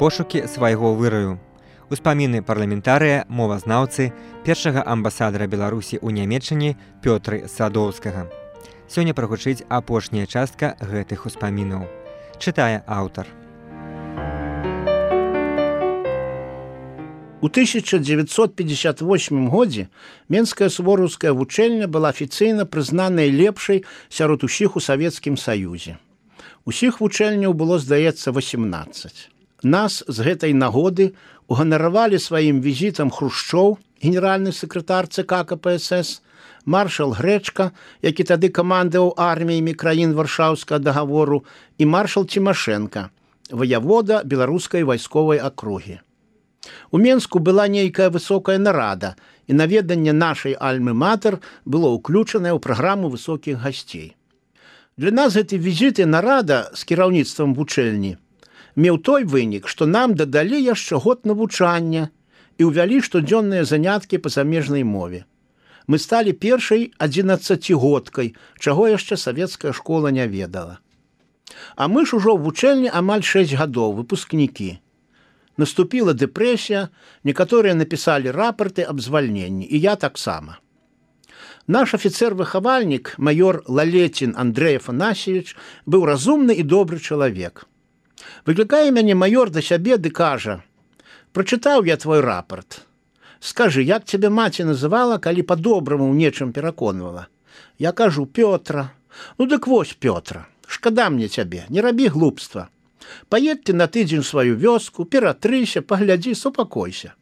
пошукі свайго выраю. Успаміны парламентарыя, мовазнаўцы, першага амбасадара Беларусі ў Нямецчыне Пётры Садоўскага. Сёння прагучыць апошняя частка гэтых успамінаў. Чытае аўтар. У 1958 годзе Менская сувораўская вучэльня была афіцыйна прызнаная лепшай сярод усіх у Савецкім Саюзе. Усіх вучэльняў было, здаецца, 18. Нас з гэтай нагоды уганаравалі сваім візітам Хрушчоў, генеральны сакратар ЦК КПСС, маршал Грэчка, які тады камандаваў арміямі краін Варшаўскага дагавору, і маршал Цімашэнка, ваявода беларускай вайсковай акругі. У Менску была нейкая высокая нарада, і наведанне нашай альмы-матэр было ўключанае ў праграму высокіх гасцей. Для нас гэты візіт і нарада з кіраўніцтвам вучэльні меў той вынік, што нам дадалі яшчэ год навучання і ўвялі штодзённыя заняткі па замежнай мове. Мы сталі першай 11-годкай, чаго яшчэ савецкая школа не ведала. А мы ж ужо ў вучэльні амаль 6 гадоў, выпускнікі. Наступіла дэпрэсія, некаторыя напісалі рапарты аб звальненні, і я таксама. Наш афіцэр-выхавальнік, майор Лалетін Андрэй Афанасьевич, быў разумны і добры чалавек. Выклікае мяне майор да сябе ды кажа: «Прачытаў я твой рапарт. Скажы, як цябе маці называла, калі па-добраму ў нечым пераконвала?» Я кажу: «Пётра». «Ну дык вось, Пётра, шкада мне цябе, не рабі глупства. Паедь ты на тыдзень у сваю вёску, ператрыся, паглядзі, супакойся.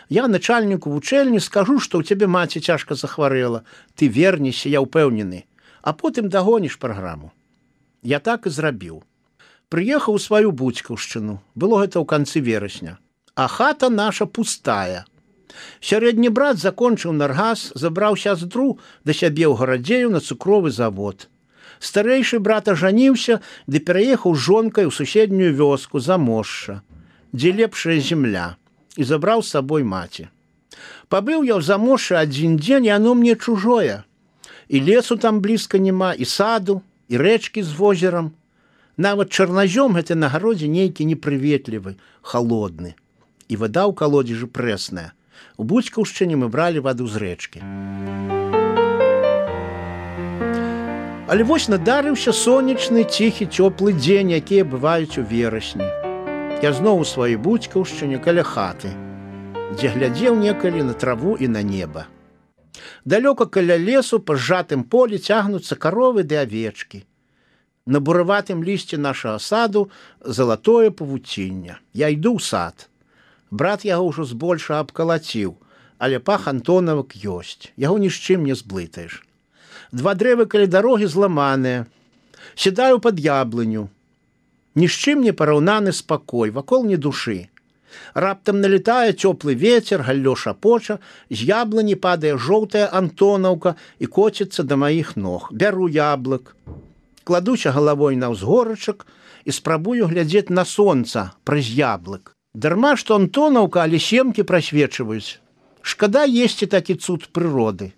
Я начальніку вучэльні скажу, што ў цябе маці цяжка захварэла. Ты вернешся, я ўпэўнены, а потым дагоніш праграму». Я так і зрабіў. Прыехаў у сваю Буцькаўшчыну. Было гэта ў канцы верасня. А хата наша пустая. Сярэдні брат закончыў наргас, забраў сястру да сябе ў Гарадзею на цукровы завод. Старэйшы брат ажаніўся ды пераехаў з жонкай у суседнюю вёску Замошша, дзе лепшая земля, і забраў з сабой маці. Пабыў я ў Замошшы адзін дзень, і оно мне чужое. І лесу там блізка няма, і саду, і рэчкі з возерам. Нават чарназём гэты на гародзе нейкі непрыветлівы, халодны. І вада ў калодзежы прэсная. У Буцькаўшчыне мы бралі ваду з рэчкі. Але вось надарыўся сонечны, ціхі, цёплы дзень, якія бываюць у верасні. Я зноў у сваёй Буцькаўшчыне каля хаты, дзе глядзеў некалі на траву і на неба. Далёка каля лесу па зжатым полі цягнуцца каровы ды авечкі. На бураватым лісці нашага саду залатое павуцінне. Я іду ў сад. Брат яго ўжо збольша абкалаціў, але пах антонавак ёсць. Яго ні з чым не зблытаеш. 2 дрэвы каля дарогі зламаныя. Сідаю пад яблыню. Ні з чым не параўнаны спакой, вакол ні душы. Раптам налетае цёплы вецер, галлё шапоча, з яблыні падае жоўтая антонаўка і коціцца да маіх ног. Бяру яблык. Кладуся галавой на ўзгорачак і спрабую глядзець на сонца праз яблык. Дарма, што антонаўка, але семкі прасвечваюць. Шкада есці такі цуд прыроды.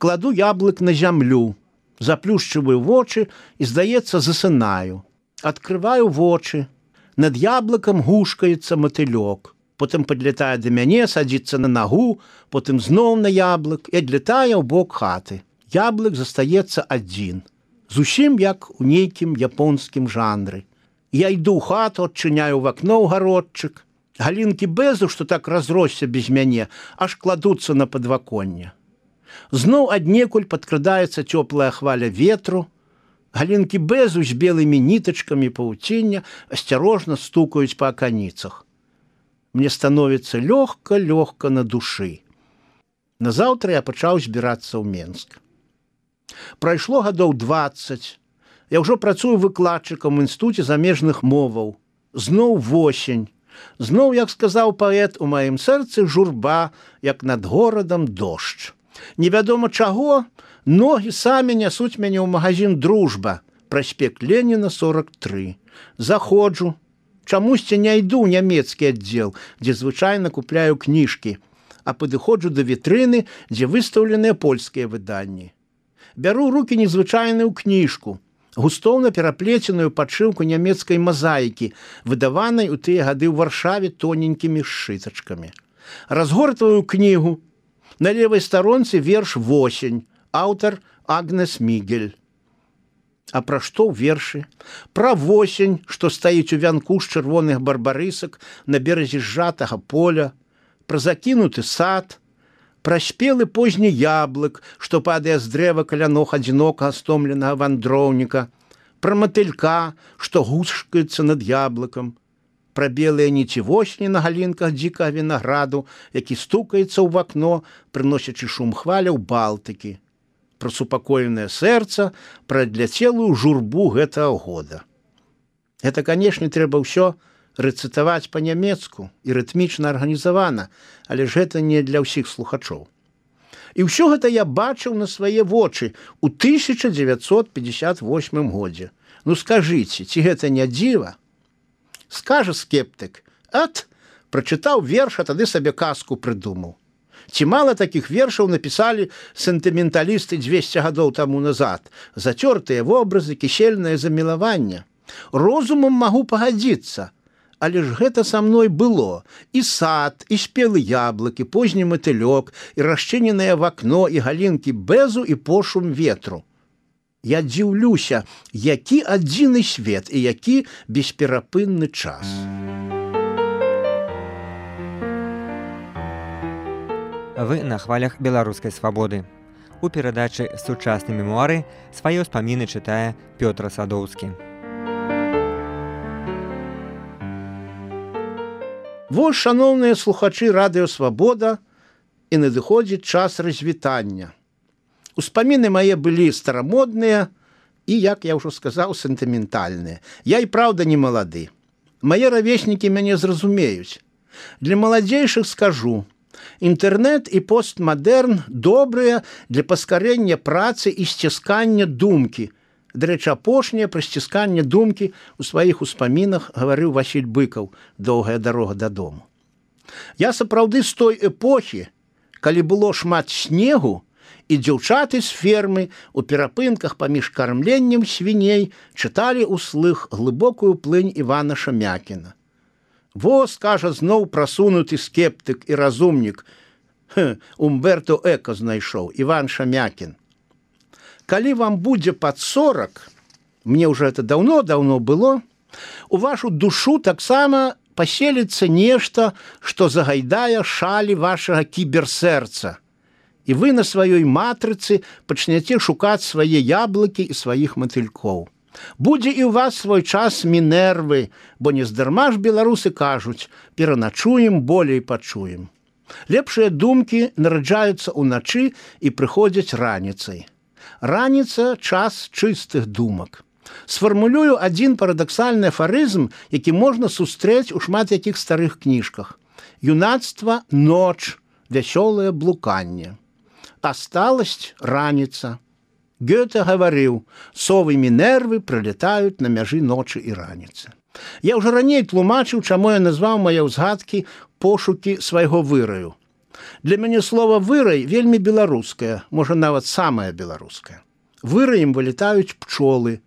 Кладу яблык на зямлю, заплюшчываю вочы і, здаецца, засынаю. Адкрываю вочы. Над яблыкам гушкаецца матылёк. Потым падлятае да мяне, садзіцца на нагу, потым зноў на яблык і адлятае ў бок хаты. Яблык застаецца адзін. Зусім як у нейкім японскім жанры. Я іду ў хату, адчыняю в акно ў гародчык. Галінкі бэзу, што так разросся без мяне, аж кладуцца на падваконне. Зноў аднекуль падкрадаецца цёплая хваля ветру. Галінкі бэзу з белымі нітачкамі павуціння асцярожна стукаюць па аканіцах. Мне становіцца лёгка-лёгка на душы. Назаўтра я пачаў збірацца ў Менск. Прайшло гадоў 20. Я ўжо працую выкладчыкам у інстытуце замежных моваў. Зноў восень. Зноў, як сказаў паэт, у маім сэрцы журба, як над горадам дождж. Невядома чаго, ногі самі нясуць мяне ў магазин «Дружба», праспект Леніна, 43. Заходжу. Чамусьці не іду ў нямецкі аддзел, дзе звычайна купляю кніжкі, а падыходжу да вітрыны, дзе выстаўленыя польскія выданні. Бяру рукі незвычайную кніжку, густоўна пераплеценую падшыўку нямецкай мазаікі, выдаванай у тыя гады ў Варшаве тоненькімі сшытачкамі. Разгортваю кнігу. На левай старонцы верш «Восень», аўтар Агнес Мігель. А пра што ў вершы? Пра восень, што стаіць у вянку з чырвоных барбарысак на беразе сжатага поля, пра закінуты сад, пра спелы позні яблык, што падае з дрэва каля ног адзінокага стомленага вандроўніка, пра матылька, што гушкаецца над яблыкам, пра белыя ніці восені на галінках дзікага вінаграду, які стукаецца ў вакно, прыносячы шум хваляў Балтыкі, пра супакоенае сэрца, пра адляцелую журбу гэтага года. Гэта, канешне, трэба ўсё рэцытаваць па-нямецку і рытмічна арганізавана, але ж гэта не для ўсіх слухачоў. І ўсё гэта я бачыў на свае вочы ў 1958 годзе. Ну скажыце, ці гэта не дзіва? Скажа скептык: «Ат, прачытаў верш, а тады сабе казку прыдумаў». Ці мала такіх вершаў напісалі сентыменталісты 200 гадоў таму назад? Зацёртыя вобразы, кішельнае замілаванне. Розумам магу пагадзіцца, але ж гэта са мной было. І сад, і спелы яблыкі, позні матылёк, і расчыненае вакно, і галінкі бэзу, і пошум ветру. Я дзіўлюся, які адзіны свет і які бесперапынны час. Вы на хвалях беларускай свабоды. У перадачы «Сучасныя мемуары» свае ўспаміны чытае Пётр Садоўскі. Вось, шаноўныя слухачы радыё «Свабода», і надыходзіць час развітання. Успаміны мае былі старамодныя і, як я ўжо сказаў, сентыментальныя. Я і праўда не малады. Мае равеснікі мяне зразумеюць. Для маладзейшых скажу: інтэрнэт і постмадэрн добрыя для паскарэння працы і сціскання думкі. Дарэчы, апошняе пра сцісканне думкі ў сваіх успамінах гаварыў Васіль Быкаў «Доўгая дарога дадому». Я сапраўды з той эпохі, калі было шмат снегу, і дзяўчаты з фермы у перапынках паміж кармленнем свіней чыталі ўслых глыбокую плынь Івана Шамякіна. Во, скажа зноў прасунуты скептык і разумнік. Умберто Эко знайшоў, Іван Шамякін. Калі вам будзе пад 40, мне ўжо это даўно было, у вашу душу таксама паселіцца нешта, што загайдае шалі вашага кіберсэрца. І вы на сваёй матрыцы пачняце шукаць свае яблыкі і сваіх матылькоў. Будзе і ў вас свой час Мінервы, бо нездарма ж беларусы кажуць: пераначуем, болей пачуем. Лепшыя думкі нараджаюцца ўначы і прыходзяць раніцай. Раніца – час чыстых думак. Сфармулюю адзін парадаксальны афарызм, які можна сустрэць у шмат якіх старых кніжках. Юнацтва – ноч, вясёлае блуканне. А сталасць – раніца. Гёте гаварыў: совы Мінервы прылетаюць на мяжы ночы і раніцы. Я ўжо раней тлумачыў, чаму я назваў мае ўзгадкі пошукі свайго выраю. Для мяне слова «вырай» вельмі беларускае, можа нават самае беларускае. Выраем вылетаюць пчолы,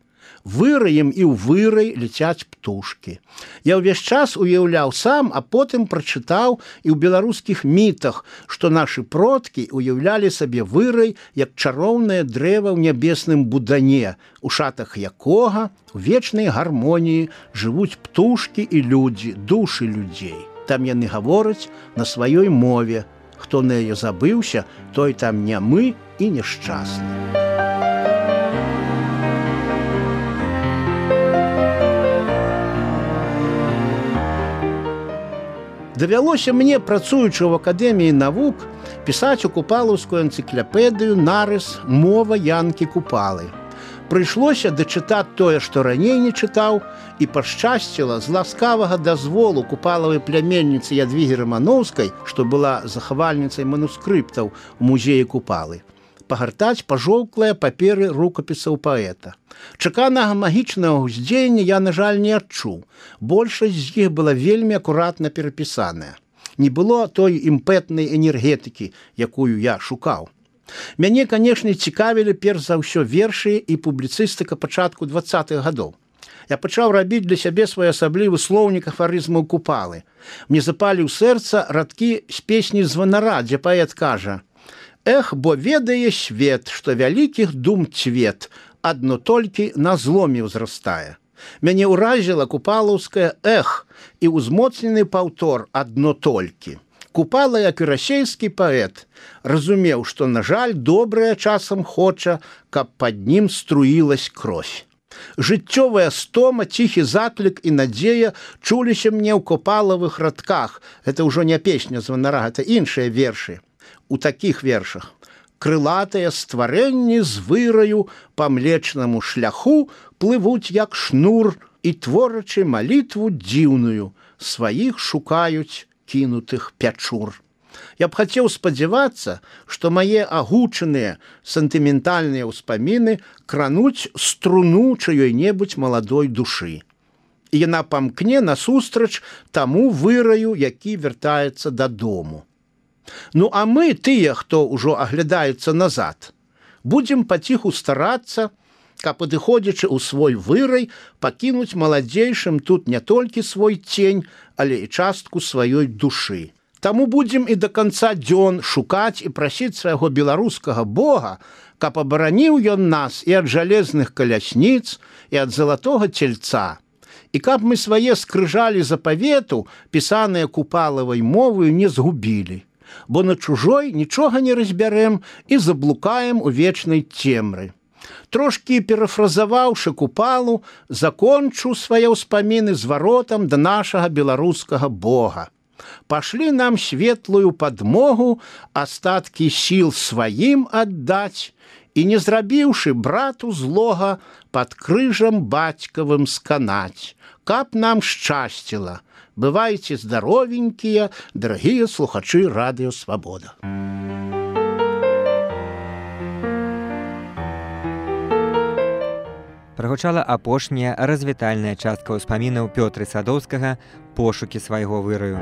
выраем і ў вырай ляцяць птушкі. Я ўвесь час уяўляў сам, а потым прачытаў і ў беларускіх мітах, што нашы продкі уяўлялі сабе вырай як чароўнае дрэва ў нябесным будане, у шатах якога у вечнай гармоніі жывуць птушкі і людзі, душы людзей. Там яны гавораць на сваёй мове. Хто на яе забыўся, той там нямы і няшчасны. Давялося мне, працуючы ў Акадэміі навук, пісаць у купалаўскую энцыклапедыю нарыс «Мова Янкі Купалы». Прыйшлося дачытаць тое, што раней не чытаў, і пашчасціла з ласкавага дазволу купалавай пляменніцы Ядвігі Рамановскай, што была захавальніцай манускрыптаў у музеі Купалы, пагартаць пажоўклыя паперы рукапісаў паэта. Чаканага магічнага ўздзеяння я, на жаль, не адчуў. Большасць з іх была вельмі акуратна перапісаная. Не было той імпэтнай энергетыкі, якую я шукаў. Мяне, канешне, цікавілі перш за ўсё вершы і публіцыстыка пачатку 20-х гадоў. Я пачаў рабіць для сябе своеасаблівы слоўнік афарызмаў Купалы. Мне запалі ў сэрца радкі з песні Званара, дзе паэт кажа: «Эх, бо ведае свет, што вялікіх дум цвет, адно толькі на зломе ўзрастае». Мяне ўразіла купалаўская «эх» і ўзмоцнены паўтор «адно толькі». Купала, як і расейскі паэт, разумеў, што, на жаль, добрае часам хоча, каб пад ім струілась кровь. Жыццёвая стома, ціхі заклік і надзея чуліся мне ў купалавых радках. Гэта ўжо не песня Званара, гэта іншыя вершы. У такіх вершах: «Крылатыя стварэнні з выраю па млечнаму шляху плывуць як шнур і, творачы малітву дзіўную, сваіх шукаюць кінутых пячур». Я б хацеў спадзявацца, што мае агучаныя сентыментальныя ўспаміны крануць струну чыёй-небудзь маладой душы. І яна памкне насустрач таму выраю, які вяртаецца дадому. Ну, а мы, тыя, хто ўжо аглядаецца назад, будзем паціху старацца, каб, падыходзячы ў свой вырай, пакінуць маладзейшым тут не толькі свой цень, але і частку сваёй душы. Таму будзем і да канца дзён шукаць і прасіць свайго беларускага Бога, каб абараніў ён нас і ад жалезных калясніц, і ад залатога цельца, і каб мы свае скрыжалі запавету, пісаныя Купалавай моваю, не згубілі, бо на чужой нічога не разбярэм і заблукаем у вечнай цемры. Трошкі перафразаваўшы Купалу, закончу свае ўспаміны зваротам да нашага беларускага Бога. Пашлі нам светлую падмогу астаткі сіл сваім аддаць і, не зрабіўшы брату злога, пад крыжам бацькавым сканаць, каб нам шчасціла. Бывайце здаровенькія, дарагія слухачы Радыё Свабода. Прагучала апошняя развітальная частка ўспамінаў Пётры Садоўскага «Пошукі свайго выраю».